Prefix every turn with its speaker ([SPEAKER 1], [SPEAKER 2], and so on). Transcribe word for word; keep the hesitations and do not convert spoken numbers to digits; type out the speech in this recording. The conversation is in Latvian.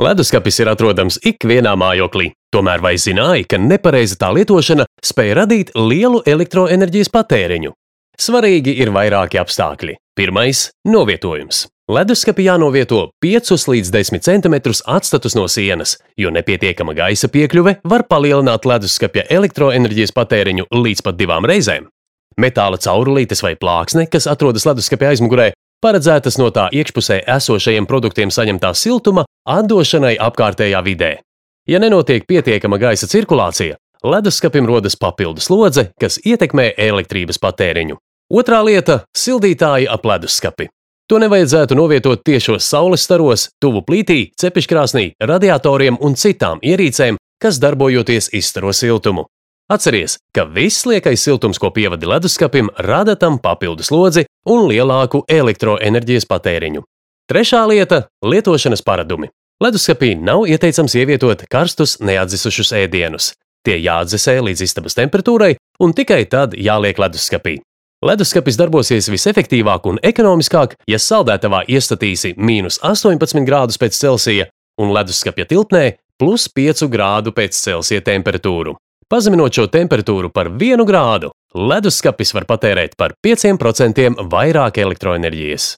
[SPEAKER 1] Leduskapis ir atrodams ikvienā mājoklī, tomēr vai zināji, ka nepareiza tā lietošana spēj radīt lielu elektroenerģijas patēriņu? Svarīgi ir vairāki apstākļi. Pirmais – novietojums. Leduskapi jānovieto piecus līdz desmit centimetrus atstatus no sienas, jo nepietiekama gaisa piekļuve var palielināt leduskapja elektroenerģijas patēriņu līdz pat divām reizēm. Metāla caurulītes vai plāksne, kas atrodas leduskapja aizmugurē, paredzētas no tā iekšpusē esošajiem produktiem saņemtā siltuma atdošanai apkārtējā vidē. Ja nenotiek pietiekama gaisa cirkulācija, leduskapim rodas papildu slodze, kas ietekmē elektrības patēriņu. Otrā lieta – sildītāji ap leduskapi. To nevajadzētu novietot tiešos saules staros, tuvu plītī, cepeškrāsnī, radiatoriem un citām ierīcēm, kas darbojoties izstaro siltumu. Atceries, ka viss liekais siltums, ko pievadi leduskapim, rada tam papildu slodzi un lielāku elektroenerģijas patēriņu. Trešā lieta – lietošanas paradumi. Leduskapī nav ieteicams ievietot karstus neatdzisušus ēdienus. Tie jāatdzesē līdz istabas temperatūrai un tikai tad jāliek leduskapī. Leduskapis darbosies visefektīvāk un ekonomiskāk, ja saldētavā iestatīsi mīnus astoņpadsmit grādus pēc Celsija un leduskapja tilpnē plus piecu grādu pēc Celsija temperatūru. Pazeminot šo temperatūru par vienu grādu, leduskapis var patērēt par pieciem procentiem vairāk elektroenerģijas.